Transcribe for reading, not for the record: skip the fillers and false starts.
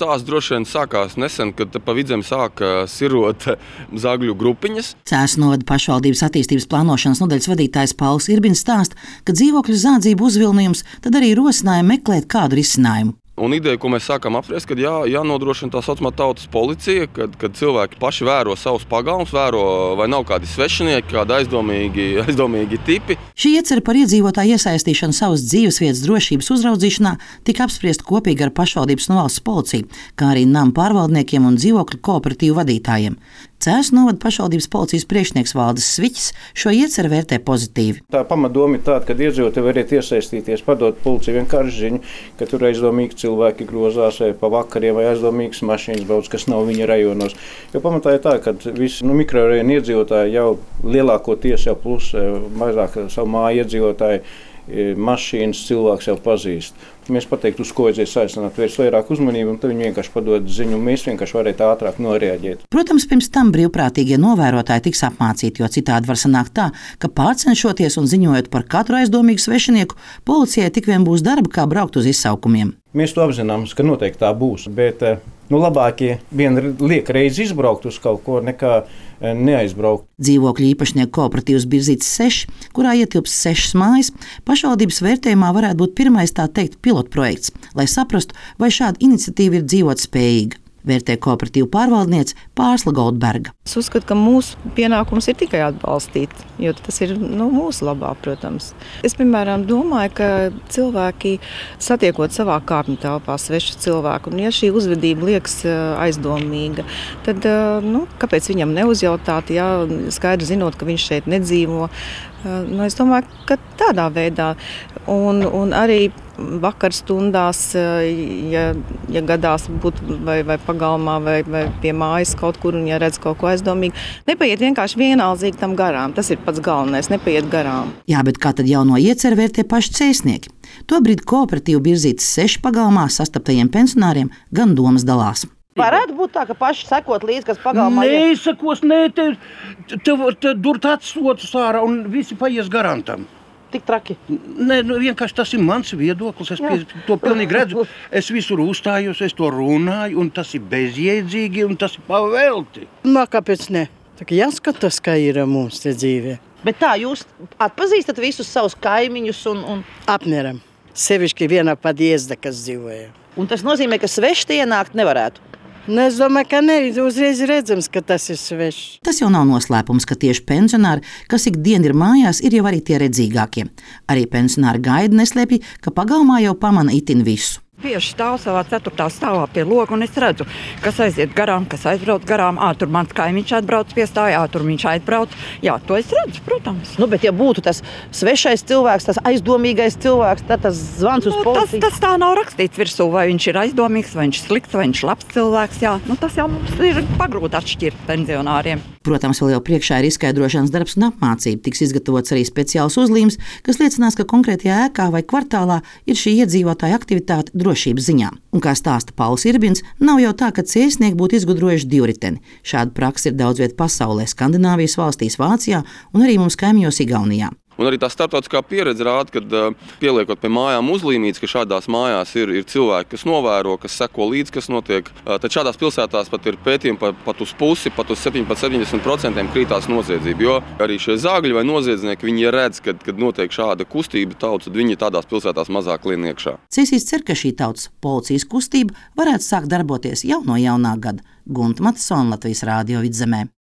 stāsts droši vien sākās nesen, kad pa Vidzemi sāka sirot zagļu grupiņas. Cēsu novada pašvaldības attīstības plānošanas nodaļas vadītājs Pauls Irbins stāsta, ka dzīvokļu zādzību uzvilnījums tad arī rosināja meklēt kādu risinājumu. Un ideja, ko mēs sākām apspriest, kad jānodrošina tā saucamā tautas policija, kad cilvēki paši vēro savus pagalmus, vēro, vai nav kādi svešinieki, kādi aizdomīgi tipi. Šī iecer par iedzīvotāju iesaistīšanu savas dzīvesvietas drošības uzraudzīšanā tika apspriesta kopīgi ar pašvaldības un valsts policiju, kā arī namu pārvaldniekiem un dzīvokļu kooperatīvu vadītājiem. Cēsu novada pašvaldības policijas priekšnieks Valdis Sviķis šo ieceru vērtē pozitīvi. Tā pamatdoma ir tāda, ka iedzīvotāji varētu iesaistīties, padot policijai vienkārši ziņu, ka tur aizdomīgi cilvēki grozās vai pa vakariem vai aizdomīgas mašīnas brauc, kas nav viņa rajonos. Jo pamatā ir tā, ka visi mikrorajonu iedzīvotāji jau lielākoties jau plus mazāk savu māju iedzīvotāji mašīnas cilvēks jau pazīst. Mēs pateiktu, uz ko aizies aicināt, vērst vairāk uzmanību, un tad viņi vienkārši padod ziņu, un mēs vienkārši varētu ātrāk noreaģēt. Protams, pirms tam brīvprātīgie novērotāji tiks apmācīti, jo citādi var sanākt tā, ka pārcenšoties un ziņojot par katru aizdomīgu svešinieku, policijai tik vien būs darba, kā braukt uz izsaukumiem. Mēs to apzināmies, ka noteikti tā būs, bet labākie viena liek reizi izbraukt uz kaut ko, nekā neaizbraukt. Dzīvokļu īpašnieku kooperatīvs Birzītes 6, kurā ietilps 6 mājas, pašvaldības vērtējumā varētu būt pirmais tā teikt pilotprojekts, lai saprastu, vai šāda iniciatīva ir dzīvot spējīga. Vērtē kooperatīvu pārvaldniece Pārsla Goldberga. Es uzskatu, ka mūsu pienākums ir tikai atbalstīt, jo tas ir mūsu labā, protams. Es, piemēram, domāju, ka cilvēki satiekot savā kāpņu telpā svešu cilvēku, un ja šī uzvedība liekas aizdomīga, tad kāpēc viņam neuzjautāt, skaidri zinot, ka viņš šeit nedzīvo. Es domāju, ka tādā veidā un arī vakar stundās, ja gadās būt vai pagalmā vai pie mājas kaut kur un ja redz kaut ko aizdomīgu, nepaiet vienkārši vienaldzīgi tam garām. Tas ir pats galvenais, nepaiet garām. Jā, bet kā tad jauno ieceru vērtē paši cēsnieki? Tobrīd kooperatīvu Birzītes 6 pagalmā sastaptajiem pensionāriem gan domas dalās. Varētu būt tā, ka paši sekot līdzi, kas pagalmā ir. Neizsakos, te durt atsotus ārā un visi paies garām tam. Tik traki? Nē, vienkārši tas ir mans viedoklis, es to pilnīgi redzu. Es visur uzstājos, es to runāju, un tas ir bezjēdzīgi, un tas ir pavelti. Kāpēc ne? Tā kā jāskatās, kā ir mums te dzīvē. Bet tā, jūs atpazīstat visus savus kaimiņus un... Apmēram. Sevišķi vienā podjezdā, kas dzīvoja. Un tas nozīmē, ka sveši ienākt nevarētu? Es domāju, ka ne, uzreiz redzams, ka tas ir svešs. Tas jau nav noslēpums, ka tieši pensionāri, kas ikdien ir mājās, ir jau arī tie redzīgākie. Arī pensionāri gaida neslēpj, ka pagalmā jau pamana itin visu. Bieži stāv savā 4. stāvā pie loga, un es redzu, kas aiziet garām, kas aizbrauc garām. Tur mans kaimiņš atbrauc piestāja, tur viņš aizbrauc. Jā, to es redzu, protams. Bet ja būtu tas svešais cilvēks, tas aizdomīgais cilvēks, tad tas zvans uz policiju. Tas tā nav rakstīts virsū, vai viņš ir aizdomīgs, vai viņš ir slikts, vai viņš ir labs cilvēks. Jā, tas jau mums ir pagrūti atšķirt pensionāriem. Protams, vēl jau priekšā ir izskaidrošanas darbs un apmācība. Tiks izgatavots arī speciāls uzlīmes, kas liecinās, ka konkrētajā ēkā vai kvartālā ir šī iedzīvotāja aktivitāte drošības ziņā. Un kā stāsta Pauls Irbins, nav jau tā, ka cēsnieki būtu izgudrojuši divriteni. Šāda praksa ir daudz viet pasaulē, Skandināvijas valstīs, Vācijā un arī mums kaimiņos Igaunijā. Un arī tā starptautiskā pieredze rāda, kad pieliekot pie mājām uzlīmītes, ka šādās mājās ir cilvēki, kas novēro, kas seko līdzi, kas notiek. Tad šādās pilsētās pat ir pētījumi pat uz pusi, pat uz 70% krītās noziedzība. Jo arī šie zāgļi vai noziedznieki, viņi redz, kad notiek šāda kustība tautas, tad viņi tādās pilsētās mazāk lien iekšā. Cēsīs cer, ka šī tautas policijas kustība varētu sākt darboties jau no jaunā gada. Gunta Matsona, Latvijas Rādio Vidzemē.